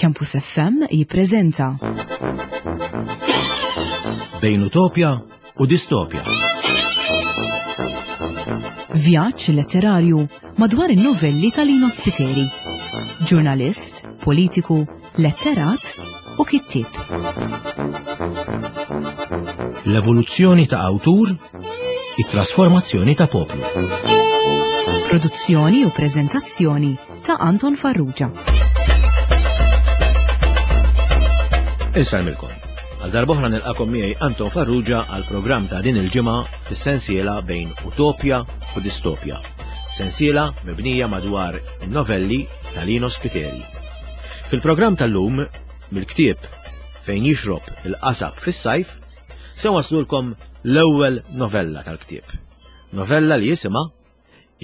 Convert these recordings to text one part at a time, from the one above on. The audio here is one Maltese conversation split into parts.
Campus FM jippreżenta Bejn Utopja u Distopja. Vjaġġ letterarju madwar in-novelli ta' Lino Spiteri. Ġurnalist, politiku, letterat u kittieb. L-evoluzzjoni ta' awtur, it-trasformazzjoni ta' poplu. Produzzjoni u preżentazzjoni ta' Anton Farrugia. Insarmilkom. Għal darbohra nilqakom miegħi Anton Farrugia għal programm ta' din il-ġimgħa fis-sensiela bejn Utopja u Distopja. Sensiela mibnija madwar in-novelli ta' Lino Spiteri. Fil-programm tal-lum, mill-ktieb fejn jixrob il-qasab fis-sajf, se waslulkom l-ewwel novella tal-ktieb. Novella li jisimha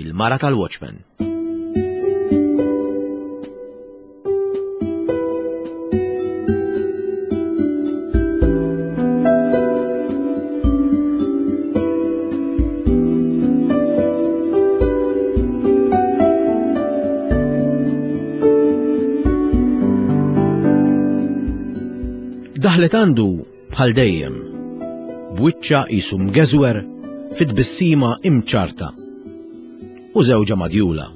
Il-Mara tal-Watchman. Daħlet għandu bħal dejjem, b'wiċċha qisu mgeżwer fi tbissima imċarta u żewġha madjula.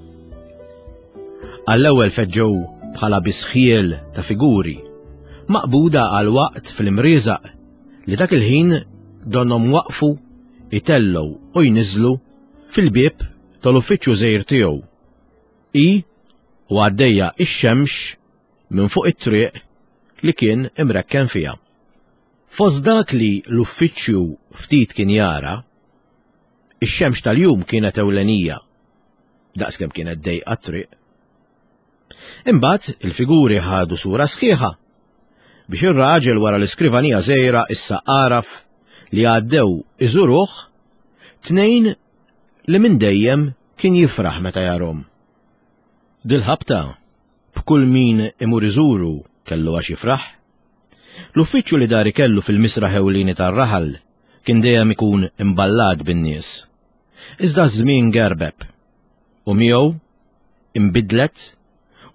Għall-ewwel feġġew bħala bisħiel ta' figuri, maqbuda għal waqt fl-imrieżaq li dak il-ħin donhom waqfu itellgħu u jniżlu fil-bieb tal-uffiċċju żgħir tiegħu. Hi u għaddejja ix-xemx minn fuq it-triq li kien imrekken fiha. Fost dak li l-uffiċċju ftit kien jara, ix-xemx tal-jum kienet ewlenija, daqskemm kienet dejqa t-triq. Imbagħad il-figuri ħadu sura sħiħa biex ir-raġel wara l-iskrivanija żgħira issa għaraf li għaddew iżuruh tnejn li minn dejjem kien jifraħ meta jarhom. Dil-ħabta B'kull min imur iżuru kellu għax jifraħ. L-uffiċċju li dari kellu fil-misraħ ewlieni tar-raħal kien dejjem ikun imballat bin-nies. Iżda ż-żmien gerbeb u miegħu inbidlet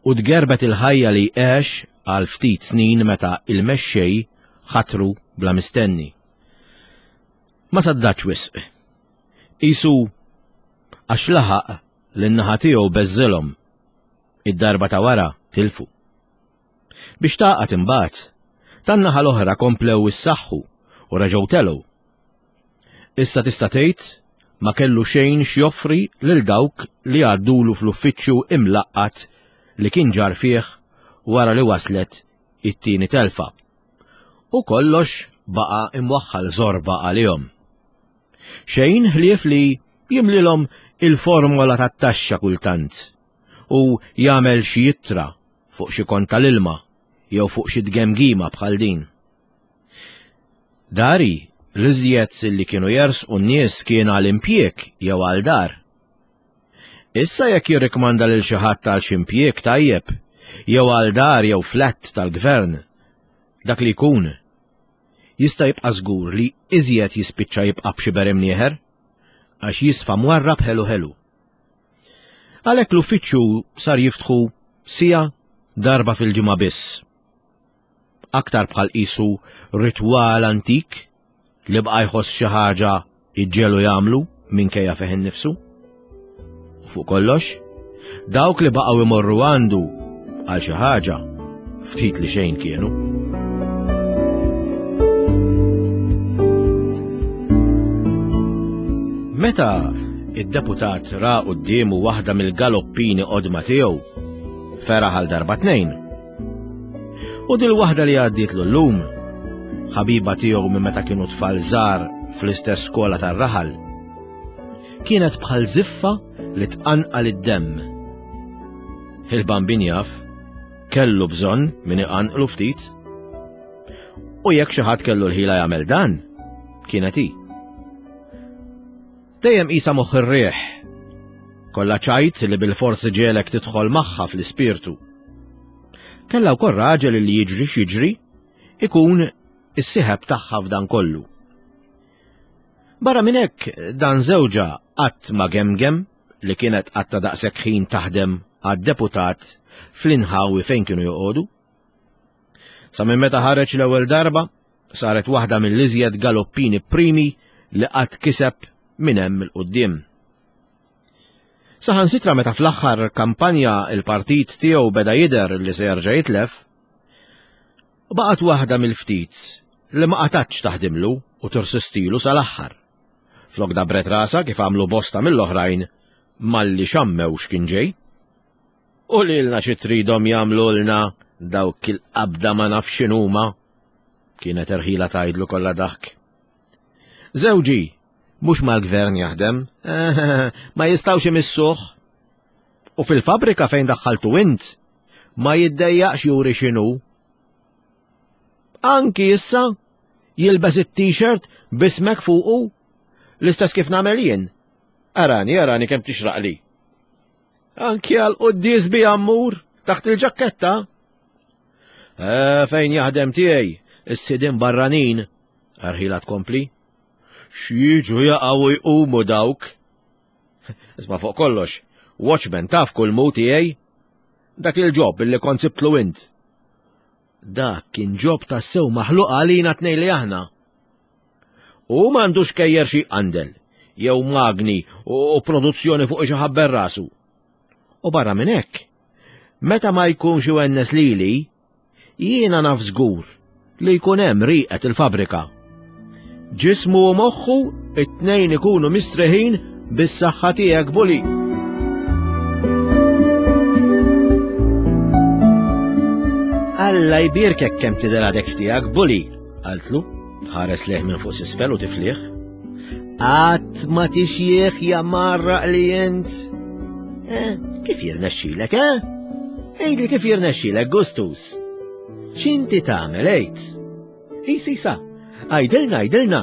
u tgerbet il-ħajja li għex għal ftit snin meta il-mexxej ħatru bla mistenni. Ma saddatx wisq. Qisu għax laħaq lin-naħa tiegħu beżżilhom Id-darba ta' wara tilfu. Biex tagħqad imbagħad, tan-naħa l-oħra komplew issaħħu u reġgħu telgħu. Issa tista' tgħid ma kellu xejn x'joffri lil dawk li għaddulu fl-uffiċċju imlaqqat li kien ġar fih wara li waslet it-tieni telfa. U kollox baqa' imwaħħal żorba għalihom. Xejn ħlief li jimlilhom il-formola tat-taxxa kultant u jagħmel xi ittra fuq xi kont tal-ilma jew fuq xi tgemgima bħal din. Dari, l-iżjed li kienu jersqu n-nies kien għal impjieg jew għal dar. Issa jekk jirrikmanda lil xi ħadd għal xi impjieg tajjeb, jew għal dar jew flat tal-gvern, dak li jkun, jista' jibqa' żgur li iżjed jispiċċa jibqa' b'xi berimnieħer, għax jisfa' mwarrab ħelu ħelu. Għalhekk l-uffiċċju sar jiftħu sija darba fil-ġimgħa biss. Aktar bħal qisu ritwal antik li baqa' jħoss xi ħaġa iġġelu jagħmlu minkejja fih innifsu. U fuq kollox, dawk li baqgħu imorru għandu għal xi ħaġa ftit li xejn kienu. Meta id-deputat ra quddiemu waħda mill-galoppini qodma tiegħu, feraħ għal darba tnejn. U dil waħda li għaddiet llum, ħabiba tiegħu minn meta kienu tfal żgħar fl-istess skola tar-raħal, kienet bħal ziffa li tqanqal id-demm. Il-bambin jaf, kellu bżonn min iqanqlu ftit. U jekk xi ħadd kellu l-ħila jagħmel dan, kienet hi. Dejjem qisha moħħ ir-riħ. Kollha ċajt li bil-forsi ġiegħlek tidħol magħha fl-ispirtu. Kellha wkoll raġel li jiġri x'jiġri ikun is-sieħeb tagħha f'dan kollu. Barra minn hekk dan żewġha qatt ma gemgem li kienet qatta daqshekk ħin taħdem għad-deputat fl-inħawi fejn kienu joqogħdu. Sa minn meta ħareġ l-ewwel darba, saret waħda mill-iżjed galoppini primi li qatt kiseb minn hemm 'il quddiem. Saħansitra meta fl-aħħar kampanja il-partit tiegħu beda jidher li se jerġa' jitlef, baqgħet waħda mill-ftit li ma qatgħatx taħdimlu u tirsistilu sal-aħħar. Flok dabret rasha kif għamlu bosta mill-oħrajn malli xammew x'kien ġej. U lilna xi tridhom jagħmlulna dawk il-qabda ma nafx x'inhuma, kienet erħila tgħidlu kollha daħk. Żewġi, mhux mal-gvern jaħdem, ma jistgħux imissuh. U fil-fabrika fejn daħħaltu int, ma jiddejjaqx juri x'inhu. Anki issa jilbes it-t-shirt bismek fuqu l-istess kif nagħmel jien. Arani, arani kemm tixraqli. Anki għal quddies bi ammur taħt il-ġakketta. Eh, fejn jaħdem tiegħi, is-sidin barranin, arħila tkompli. X'jiġu jaqgħu jqumu dawk. Isma' fuq kollox, watchman taf kull mu tiegħi. Dak il-ġob illi kont sibtlu int. Dak kien ġob tassew maħluq għalina tnej li aħna. U m'għandux kejjer xi qandel, jew magni u produzzjoni fuq xi ħabber rasu. U barra minn hekk, meta ma jkunx iwennes lili, jiena naf żgur li jkun hemm riqet il-fabrika. Ġismu u moħħu it-tnejn ikunu mistreħin bis-saħħa tiegħek buli. Alla jbierkek kemm tidher għadek tiegħek buli, qaltlu, tħares lejh minn fuq s'isfel u tiflih. Qatt ma tixjieħ ja marraq li int. Eh, kif jirnexxilek, eh? Għidli kif jirnexxilek, Gustus. X'inti tagħmel għid? Isisa, għidilna, għidilna.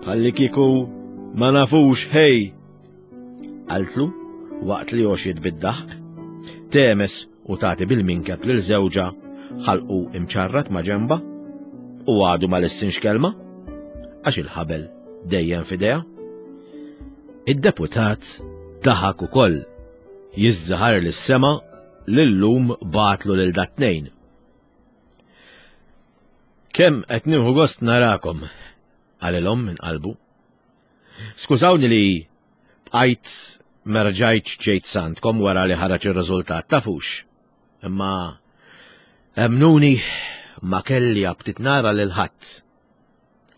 Bħalli kieku ma nafux ħej. Qaltlu waqt li għoxiet bid-daħq. Temes u tagħti bil-minkeb lil żewġha ħalqu imċarrat ma' ġenba u għadu ma lissinx kelma għax il-ħabel dejjem f'idejha. Id-deputat daħak ukoll jiżżaħar lis-sema lillum bagħatlu lil dat-tnejn. Kemm qed nieħu gost narakom, qalilhom minn qalbu. Skużawni li bqajt ma rġajtx ġejt sandkom wara li ħareġ ir-riżultat tafux. Imma emmnuni ma kelli aptit nara lil ħadd.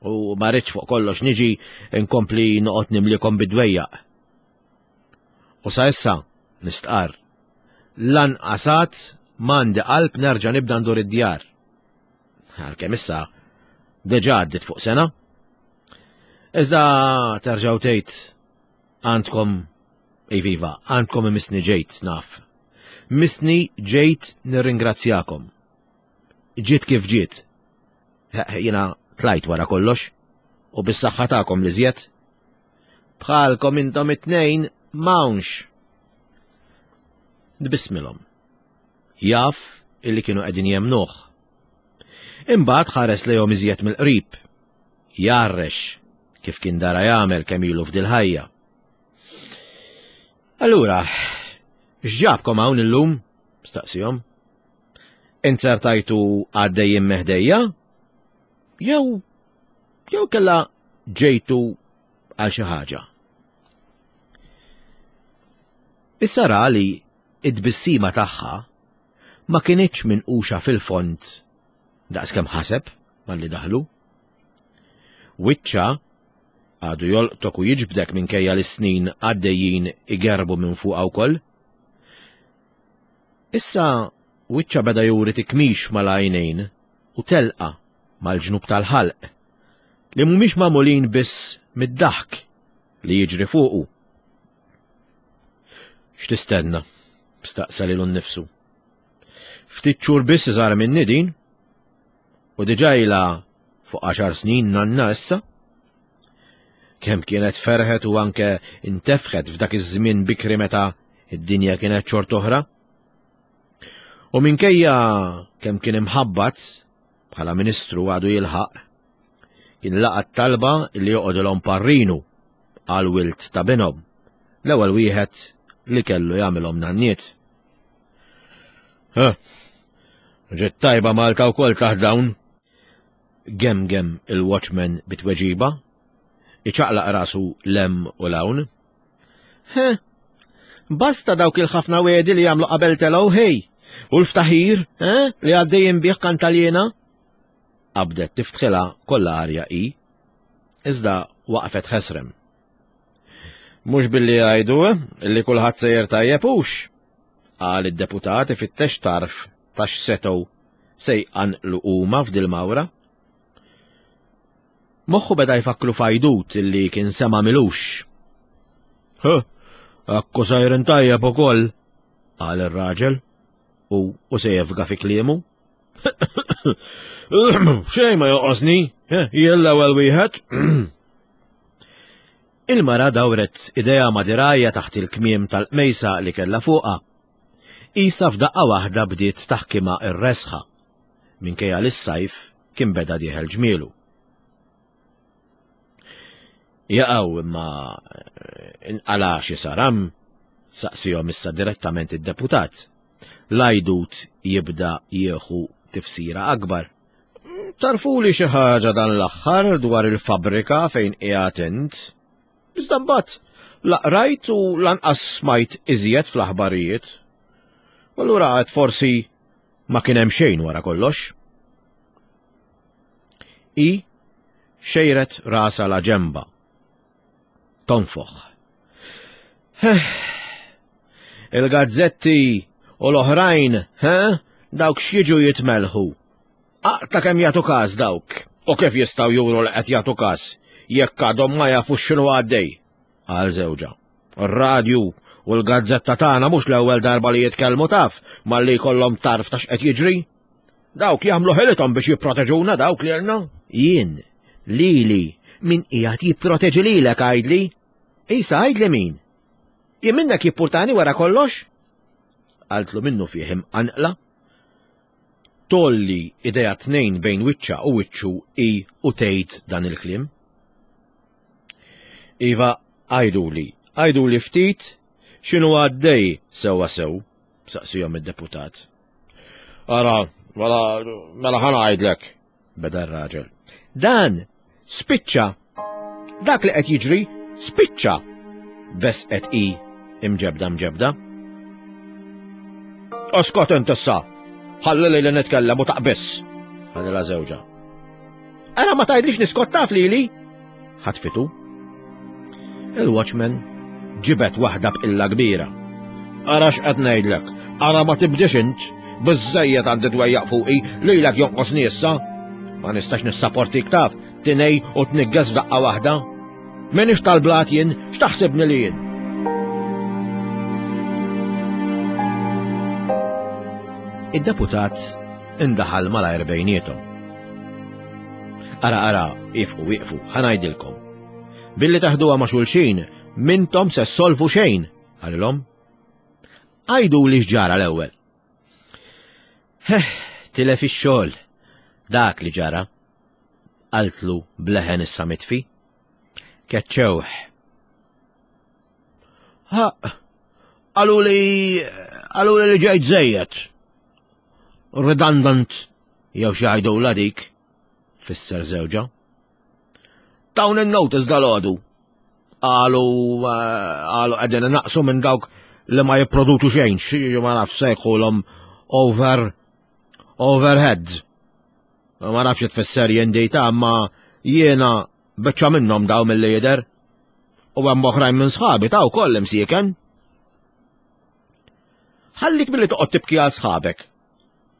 U ma rridx fuq kollox niġi nkompli noqgħod nimlikom bid-dwejjaq. U sa issa nistqarr lanqas għad m'għandi qalb nerġa' nibda ndur id-djar. Għalkemm issa deġa għaddit fuq sena. Iżda terġgħu tgħid għandkom iviva, għandkom imissni ġejt naf. Missni ġejt nirringrazzjakom. Ġiet kif ġiet. Jiena tlajt wara kollox u bis-saħħa tagħkom li żjed. Bħalkom intom it-tnejn m'hawnx. Tbissmilhom. Jaf illi kienu qegħdin jemmnuh. Imbagħad ħares lejhom iżjed mill-qrib. Jgħarrex kif kien dara jagħmel kemm ilu f'dil-ħajja. Allura, x'ġabkom hawn illum? Staqsihom. Inzertajtu għaddejjin meħdejja? Jew jew kella ġejtu għal xi ħaġa? Issa ra li id-tbissima tagħha ma kinitx minquxa fil-fond daqskemm ħaseb malli daħlu. Wiċċha għadu jolqtok u jiġbdek minkejja li s-snin għaddejjin igerbu minn fuqha wkoll. Issa wiċċha beda juri tikmix mal-għajnejn u telqa mal-ġnub tal-ħalq li mhumiex magħmulin biss mid-daħk li jiġri fuqu. X'tistenna? staqsa lilu nnifsu. Ftit xhur biss iżgħar minni din, u diġà ilha fuq għaxar snin nanna issa. Kemm kienet ferħet u anke intefħet f'dak iż-żmien bikri meta id-dinja kienet xort oħra. U minkejja kemm kien imħabbat bħala ministru għadu jilħaq, kien laqa' t-talba li joqgħodilhom parrinu għal wild ta' binhom, l-ewwel wieħed li kellu jagħmilhom nanniet. Ġiet tajba Malta wkoll taħt dawn. Gemgem il-watchman bitweġiba, iċaqlaq rasu lem u lawn. He, basta dawk il-ħafna wedi li jagħmlu qabel telgħu ħej, u l-ftaħir, eh, li għaddejjin bih kantaljena. Qabdet tiftħilha kollha arja hi, iżda waqfet ħesrem. Mhux billi jgħidu eh, li kulħadd sejjer tajjeb hux, qal id-deputat ifittex tarf ta' x'setgħu se jqanqlu huma f'dil-mawra. Moħħu beda jfakklu f'għajdut li kien sema' milux. Huh, akku sejrin tajjeb ukoll, qal ir-raġel u u se jefga fi kliemu. Xejn ma joqosni, jien l-ewwel wieħed. Il-mara dawret idejha ma' dirgħajha taħt il-kmiem tal-qmejsa li kellha fuqha. Qisha f'daqqa waħda bdiet taħkimha r-resħa, minkejja li s-sajf kien beda dieħel ġmielu. Jaqaw imma inqala' xi saram? saqsihom issa direttament id-deputat. L-għajdut jibda jieħu tifsira akbar. Tarfuli xi ħaġa dan l-aħħar dwar il-fabbrika fejn qiegħed int. Iżda mbagħad la qrajt u lanqas smajt iżjed fl-aħbarijiet. U allura għad forsi ma kien hemm xejn wara kollox. I xejret rasa la ġemba. Tonfoħ. Il-gazzetti u l-oħrajn, he? Dawk x'jiġu jitmelħu. Aqta kemm jagħtu każ dawk. U kif jistgħu juru li qed jagħtu każ jekk għadhom ma jafux x'inhu għaddej? Qal żewġha. Ir-radju u l-gazzetta tagħna mhux l-ewwel darba li jitkellmu taf malli jkollhom tarf ta' x'qed jiġri. Dawk jagħmlu ħilithom biex jipproteġuna dawk lilna. Jien, lili, min qiegħed jipproteġi lilek għidli? Isa għidli min? Jien minnek jippurtani wara kollox? Qaltlu minnu fih imqanqla. Tolli idejha tnejn bejn wiċċha u wiċċu hi u tgħid dan il-kliem. Iva, għiduli, għiduli ftit x'inhu għaddej sewwa sew, saqsihom id-deputat. Ara, mela, mela ħa ngħidlek, beda r-raġel. Dan spiċċa. Dak li qed jiġri spiċċa. Besqet hi imġebda mġebda. Oskot int issa. Ħalli li nitkellem u taqbiss. Ħalli żewġa. Ara ma tgħidlix niskot taf lili. Ħatfitu. Il-watchman ġibet waħda b'qilla kbira. Ara x'qed ngħidlek, ara ma tibdix int, biżżejjed għandi dwejjaq fuqi, lilek jonqosni issa. Ma nistax nissaportik taf, tinej u tniggeż f'daqqa waħda. Minix tal-blat jien, x'taħsibni li jien? Id-deputat indaħal malajr bejniethom. Ara ara, ifqu iqfu, ħa ngħidilkom. Billi taħduha ma' xulxin, mintom se ssolvu xejn, qalilhom. Għidu li x'ġara l-ewwel. Heh, tilef ix-xogħol. Dak li ġara. Qaltlu bleħen issa mitfi. Keċċewh. Ha, qalu li qalu li ġejt żejjed. Redundant jew xi jgħidulha dik, fisser żewġha. Dawn in-notice dal-għodu. Qalu qalu qegħdin naqsu minn dawk li ma jipproduċu xejn, xi ma naf sejħulhom over overheads. Ma nafx tfisser jien dejta, ma jiena biċċa minnhom daw mill jidher. U hemm oħrajn minn sħabi ta' wkoll imsieken. Ħallik milli toqgħod tibki għal sħabek,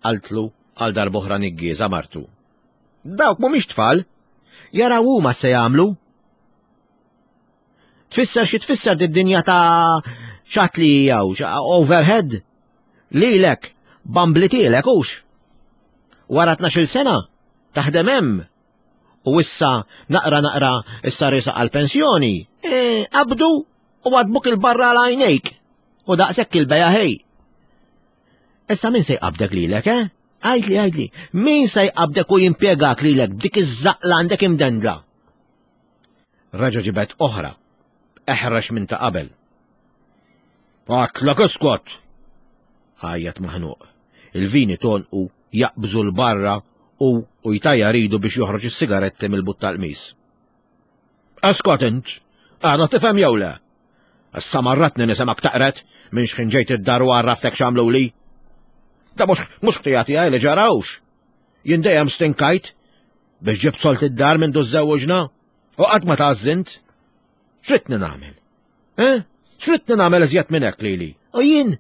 qaltlu għal darb'oħra niggieża martu. Dawk mhumiex tfal, jaraw huma se jagħmlu. Tfisser xi tfisser did-dinja ta' xat li jew overhead lilek bamblitielek hux. Wara 12 sena taħdem hemm u issa naqra naqra issa risa għal-pensjoni, e, qabdu u għadbuk il-barra għal għajnejk u daqshekk il-beja ħej. Issa min se jqabdek lilek, eh? Għidli, għidli, min se jqabdek u jimpjegak lilek b'dik iż-żaqla għandek imdendla? Raġa ġibet oħra, eħrax minn ta' qabel. Għatlek iskot! Għajjat maħnuq. Il-vini tonqu jaqbżu 'l barra u u jtajjar idu biex joħroġ is-sigaretti mill-but tal-qmis. Eskot int, għadha tifhem jew le? Issa marratni nisimgħek taqret minn xħin ġejt id-dar u għarraftek x'għamluli. Da mhux mhux ħtija tiegħi li ġarawx. Jien dejjem stinkajt biex ġibt solt id-dar minn żewġna u qatt ma tgħażżint. X'ridni nagħmel? Eh? X'ridni nagħmel iżjed minn hekk lili? U jien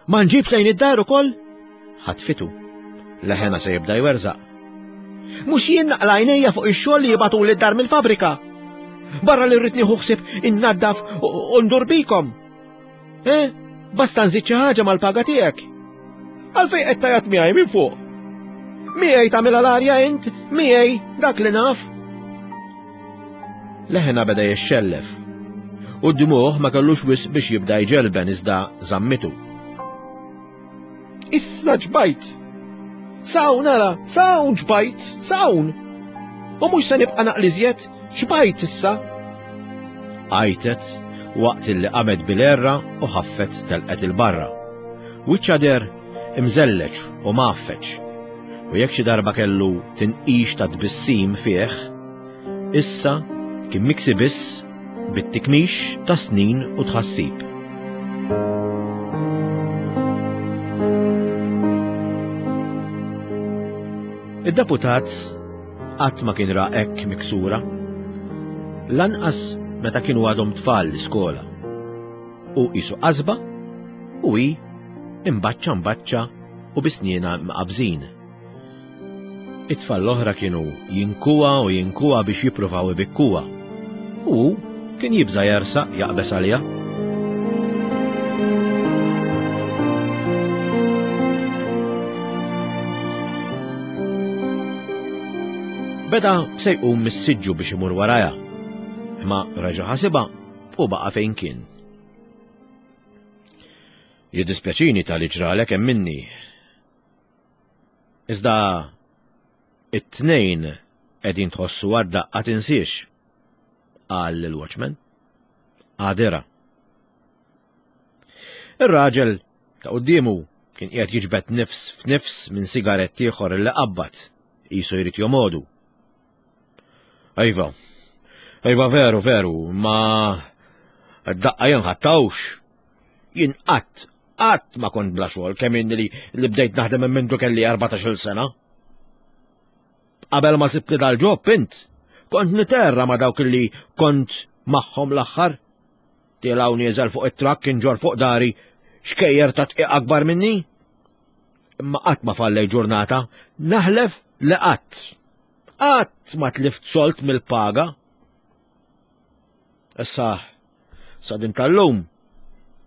ma nġibx lejn id-dar ukoll? Ħatfitu. Leħena se jibda jwerżaq. Mhux jien naqla' għajnejja fuq ix-xogħol li jibgħatuli d-dar mill-fabrika. Barra li rrid nieħu ħsieb innaddaf u ndur bikom. Eh? Basta nżid xi ħaġa mal-paga tiegħek. Għalfejn qed tajat miegħi minn fuq? Miegħi tagħmilha l-arja int, miegħi dak li naf. Leħena beda jixxellef. U d-dmuħ ma kellux wisq biex jibda jġelben iżda żammitu. Issa ġbajt! Sawn ara, sawn ġbajt, sawn! U mhux se nibqa' naqliżjed, xbajt issa! Għajtet waqt illi qamet bil-erra u ħaffet telqet il-barra. Wiċċha der imżelleġ u mgħaffeġ. U jekk xi darba kellu tinqix ta' tbissim fih, issa kien miksi biss bit-tikmix ta' snin u tħassib. Id-deputat qatt ma kien ra hekk miksura. Lanqas meta kienu għadhom tfal l-iskola. Hu qisu qasba u hi imbaċċa mbaċċa u bi snienha mqabbżin. It-tfal l-oħra kienu jinkuha u jinkuha biex jippruvaw ibikkuha. U hu kien jibża' jersaq jaqbeż għaliha. Beda se jqum mis-siġġu biex imur warajha, imma reġa' ħasibha u baqa' fejn kien. Jiddispjaċini tal-li ġralek hemm minni. Iżda it-tnejn qegħdin tħossu għad-daqqa tinsiex, qal lill-watchman. Għadira. Ir-raġel ta' quddiemu kien qiegħed jiġbed nifs f'nifs minn sigarett ieħor li qabbad, qisu jrid jomodu. Iva, iva veru, veru, ma d-daqqa jien ħattawx. Jien qatt, qatt ma kont bla xogħol kemm inni li, li bdejt naħdem minn mindu kelli 14-il sena. Qabel ma sibtli dal-ġob int, kont niterra ma dawk li kont magħhom l-aħħar. Tielaw nieżel fuq it-trakk inġor fuq dari xkejjer ta' tqiq akbar minni. Imma qatt ma fallej ġurnata, naħlef li qatt. Qatt ma tlift solt mill-paga. Issa, sa din tal-lum,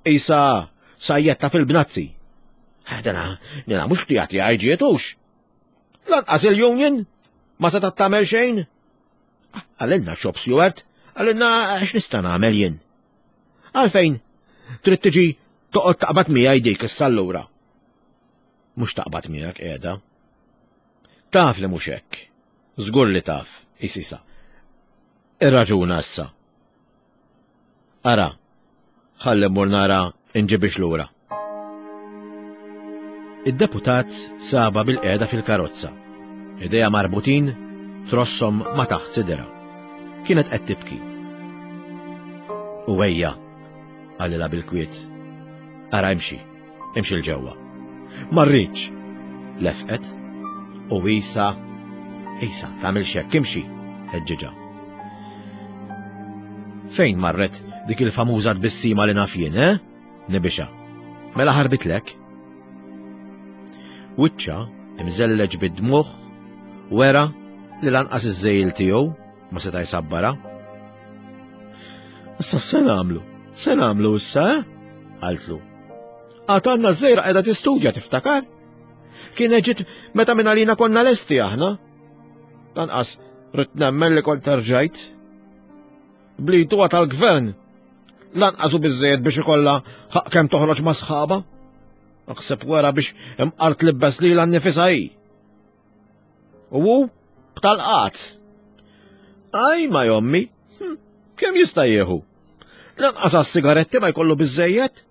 isa sajjetta fil-bnazzi. Eh, dana, dana mhux ktijat li għajġietux. Lanqas il-union ma seta' tagħmel xejn. Għalinna shop steward, għalinna x'nista' nagħmel jien. Għalfejn trid tiġi toqgħod taqbad miegħi dik issa allura. Mhux taqbad miegħek qiegħda. Taf li mhux hekk. Żgur li taf, isisa. Irraġuna issa. Ara, ħalli mmur nara inġibix lura. Id-deputat saba bil-qiegħda fil-karozza. Idejha marbutin trossom ma' taħt sidera. Kienet qed tibki. U ejja, qalilha bil-kwiet. Ara imxi. Imxi 'l ġewwa. Ma rridx! Lefqet. U isa, isa, tagħmilx hekk, imxi, ħeġġiġha. Fejn marret dik il-famuża tbissima li naf jien, eh? Nibixa. Mela ħarbitlek? Wiċċa imżelleġ bid-dmugħ wera li lanqas iż-żejl tiegħu ma seta' jsabbara. Issa se nagħmlu? Se nagħmlu issa, eh? Qaltlu. Għad għandna żejra qiegħda tistudja tiftakar? Kienet ġiet meta minn għalina konna lesti aħna. Lanqas rrid nemmen li kont terġajt. Blitu tal-gvern. Lanqas u biżejjed biex ikollha ħaq kemm toħroġ ma' sħaba. Aħseb wara biex imqar tlibbes lilha nnifisha hi. U hu b'tal-qat. Aj ma jommi, hm, kemm jista' jieħu? Lanqas għas-sigaretti ma jkollu biżejjed.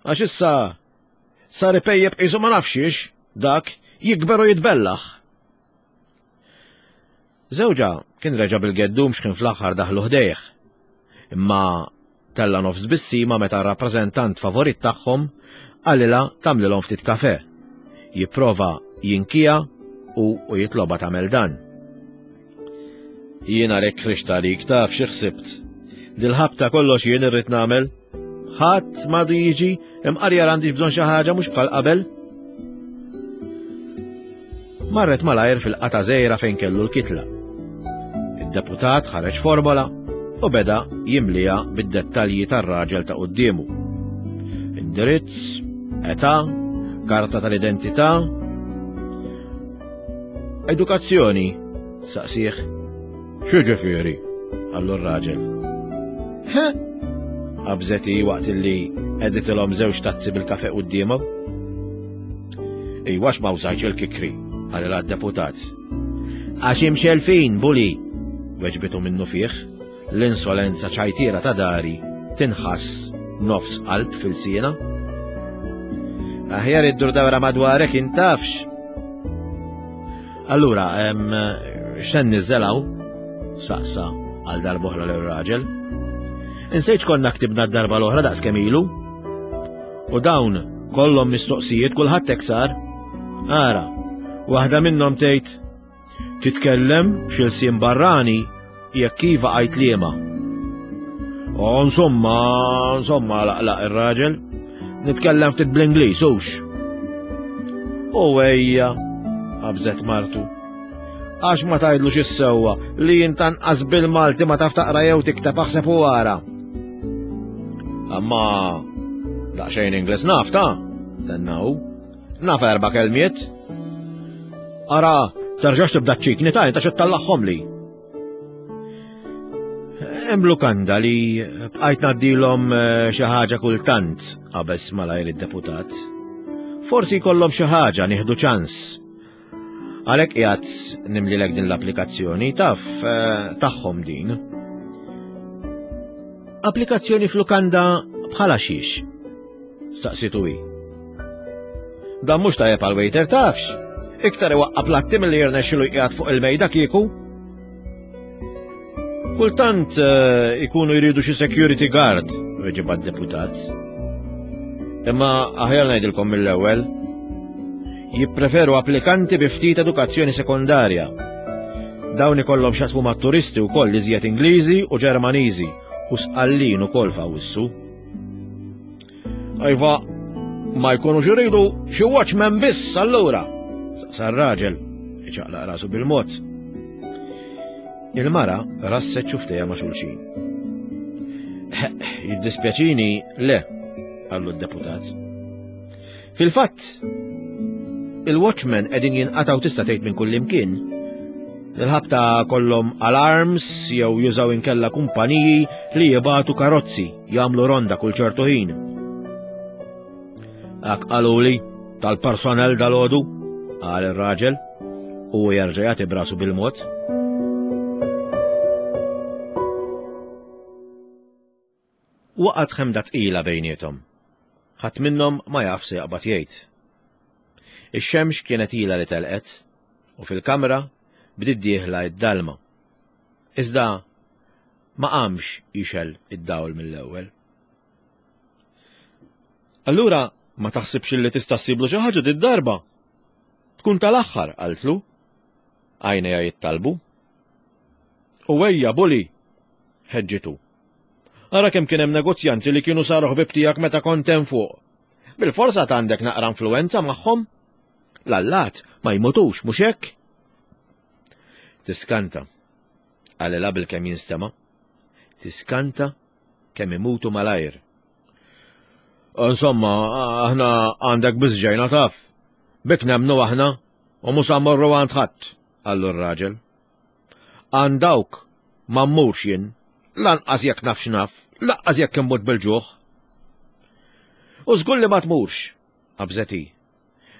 Għax issa sar ipejjeb qisu ma nafxiex dak Jikber u jitbellaħ. Żewġha kien reġa' bil-geddum x'kien fl-aħħar daħlu ħdejh. Imma tella' nofs tbissima meta r-rappreżentant favorit tagħhom qalilha tagħmlilhom ftit kafè. Jipprova jinkiha u u jitlobha tagħmel dan. Jien għalhekk ħriġt għalik taf xi ħsibt. Dil-ħabta kollox jien irrid nagħmel. Ħadd m'għadu jiġi imqar jara għandix bżonn xi ħaġa mhux bħal qabel. Marret malajr fil-qata żgħira fejn kellu l-kitla. Id-deputat ħareġ formola u beda jimliha bid-dettalji tar-raġel ta' quddiemu. Indirizz, età, karta tal-identità, Edukazzjoni, saqsih. X'jiġifieri? qallu r-raġel. He? Qabżet hi waqt illi qegħditilhom żewġ tazzi bil-kafe quddiemhom. Iwa ma użajtx il-kikri, qalilha d-deputat. Għax imxelfin, buli, weġbitu minnu fih, l-insolenza ċajtiera ta' dari tinħass nofs qalb fil-siena. Aħjar iddur dawra madwarek intafx. Allura, x'en niżżelaw? Saqsa għal darbohra l-raġel. Insejt konna ktibna d-darba l-oħra daqs kemm ilu. U dawn kollhom mistoqsijiet kulħadd hekk sar. Ara, waħda minnhom tgħid titkellem xi lsien barrani jekk iva għajt liema. O insomma, insomma laqlaq ir-raġel, nitkellem ftit bl-Ingliż hux. U ejja, qabżet martu. Għax ma tgħidlux is-sewwa li jintanqas bil-Malti ma taf taqra jew tikteb aħseb u ara. Amma daqsxejn Ingliż naf ta' tenna hu. Naf erba' kelmiet. Ara, terġax tibda ċikni ta' inta xi li. Hemm lukanda li bqajt ngħaddilhom eh, xi ħaġa kultant qabeż malajr id-deputat. Forsi jkollhom xi ħaġa nieħdu ċans. Għalhekk qiegħed nimlilek din l-applikazzjoni taf eh, tagħhom din. Applikazzjoni f'lukanda bħala xiex? Staqsitu hi. Dan mhux tajjeb għal waiter tafx. Iktar iwaqqa platti milli jirnexxilu jqiegħed fuq il-mejda kieku. Kultant eh, ikunu jridu xi security guard, weġiba d-deputat. Imma aħjar ngħidilkom mill-ewwel, jippreferu applikanti bi ftit edukazzjoni sekondarja. Dawn ikollhom x'jaqsmu mat-turisti wkoll iżjed Ingliżi u Ġermaniżi u sqallin ukoll f'Awwissu. Iva, ma jkunux iridu xi watchman biss allura, saqsa r-raġel, iċaqlaq rasu bil-mod. Il-mara rasset xuftejha ma' xulxin. Jiddispjaċini, le, qallu d-deputat. Fil-fatt, il-watchmen qegħdin jinqatgħu tista' tgħid minn kullimkien. Il-ħabta kollhom alarms jew jużaw inkella kumpaniji li jibatu karozzi jagħmlu ronda kull ċertu ħin. Ak qaluli tal-personel dal-għodu, qal ir-raġel, u jerġa' jagħti brasu bil-mod. Waqgħet ħemda tqila bejniethom. Ħadd minnhom ma jaf se jaqbad jgħid. Ix-xemx kienet ilha li telqet u fil-kamra bdiet dieħla d-dalma. Iżda ma qamx jixgħel id-dawl mill-ewwel. Allura ma taħsibx li tista' ssiblu xi ħaġa did-darba? Tkun tal-aħħar, qaltlu. Għajnejha jittalbu. U ejja, buli, ħeġġitu. Ara kemm kien hemm negozjanti li kienu saru ħbieb tiegħek meta kont hemm fuq. Bil-forsa għandek naqra influenza magħhom. L-allat ma jmutux, mhux hekk? Tiskanta, qalilha bil-kemm jinstema'. Tiskanta kemm imutu malajr. Insomma, aħna għandek biss ġejna taf. Bik nemmnu aħna u mhux sa mmorru għand ħadd, qallu r-raġel. Għand dawk ma mmurx jien, lanqas jekk naf x'naf, lanqas jekk immut bil-ġuħ. U żgur li ma tmurx, qabżet hi.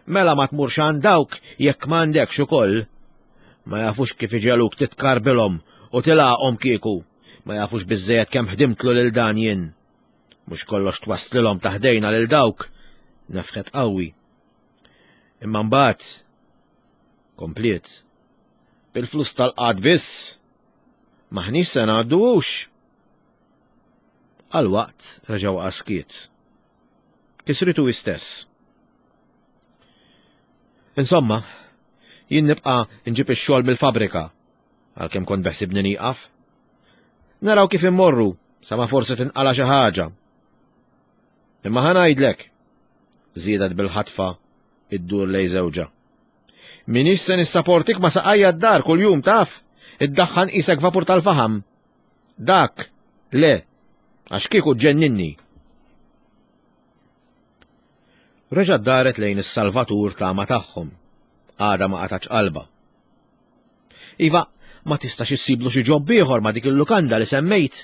Mela ma tmurx għand dawk jekk m'għandekx ukoll. Ma jafux kif iġegħluk titkarbilhom u tilgħaqhom kieku. Ma jafux biżżejjed kemm ħdimtlu lil dan jien. Mhux kollox twasslilhom ta' ħdejna lil dawk, nefħet qawwi. Imma mbagħad. Kompliet. Bil-flus tal-qad biss. Maħniex se ngħaddu hux. Għal waqt reġa' waqa' skiet. Kisritu hi stess. Insomma, jien nibqa' nġib ix-xogħol mill-fabbrika, għalkemm kont beħsibni nieqaf. Naraw kif immorru, sa ma forsi tinqala xi ħaġa. Imma ħa ngħidlek, żiedet bil-ħatfa iddur lej żewġha. Minix se nissaportik ma saqajja d-dar kuljum taf, iddaħħan qisek vapur tal-faħam. Dak, le, għax kieku ġenninni. Reġa' daret lejn is-salvatur tama tagħhom. Għada ma qatax qalba. Iva, ma tistax issiblu xi ġob ieħor ma dik il-lukanda li semmejt.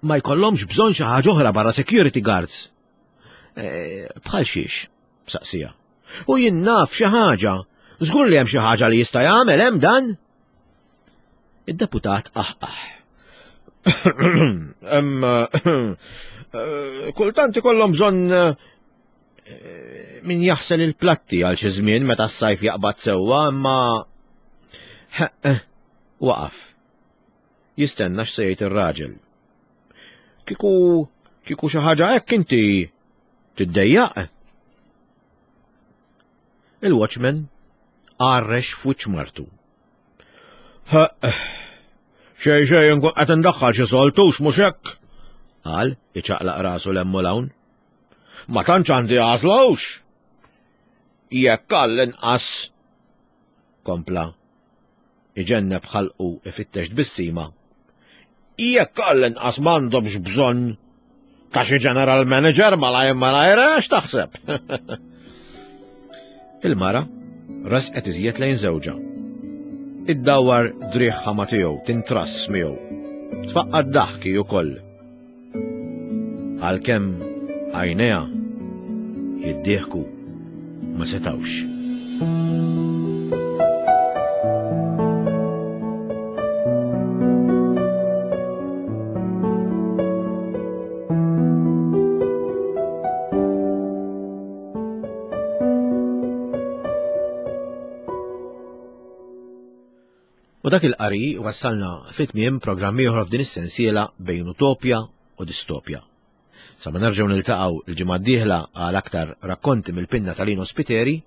Ma jkollhomx bżonn xi ħaġa oħra barra security guards. Eh, bħal xiex, saqsija. U jien naf xi ħaġa. Żgur li hemm xi ħaġa li jista' jagħmel hemm dan. Id-deputat aħqaħ. Hemm eh, kultant ikollhom bżonn eh, min jaħsel il-platti għal xi żmien meta s-sajf jaqbad sewwa, imma eh, waqaf. Jistenna x'se jgħid ir-raġel. Kieku kieku xi ħaġa hekk inti tiddejjaq. Il-watchman għarrex f'wiċċ martu. Xej xej nkun qed indaħħal xi soltux mhux hekk, qal iċaqlaq rasu l-hemm u l-hawn. Ma tantx għandi għażlux. Jekk għall-inqas kompla iġenneb ħalqu ifittex tbissima. Jekk għall-inqas m'għandhomx bżonn ta' xi general manager malajr malajr eh, x'taħseb? Il-mara resqet iżjed lejn żewġha. Iddawwar driegħha ma' tiegħu, tintrass miegħu. Tfaqqad daħki ukoll. Għalkemm għajnejha jiddieħku ma setgħux. U dak il-qari wassalna fi tmiem programm ieħor f'din is-sensiela bejn utopja u distopja. Sa ma nerġgħu niltaqgħu l-ġimgħa d-dieħla għal aktar rakkonti mill-pinna ta' Lino Spiteri,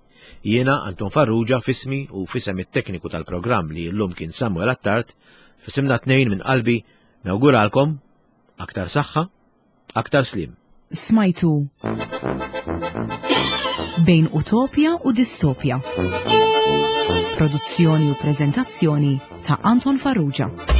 jiena Anton Farrugia fismi u fisem it-tekniku tal-programm li llum kien Samuel Attard, fisimna tnejn minn qalbi nawguralkom aktar saħħa, aktar sliem. Smajtu Bejn Utopja u Distopja. Produzzjoni u preżentazzjoni ta' Anton Farrugia.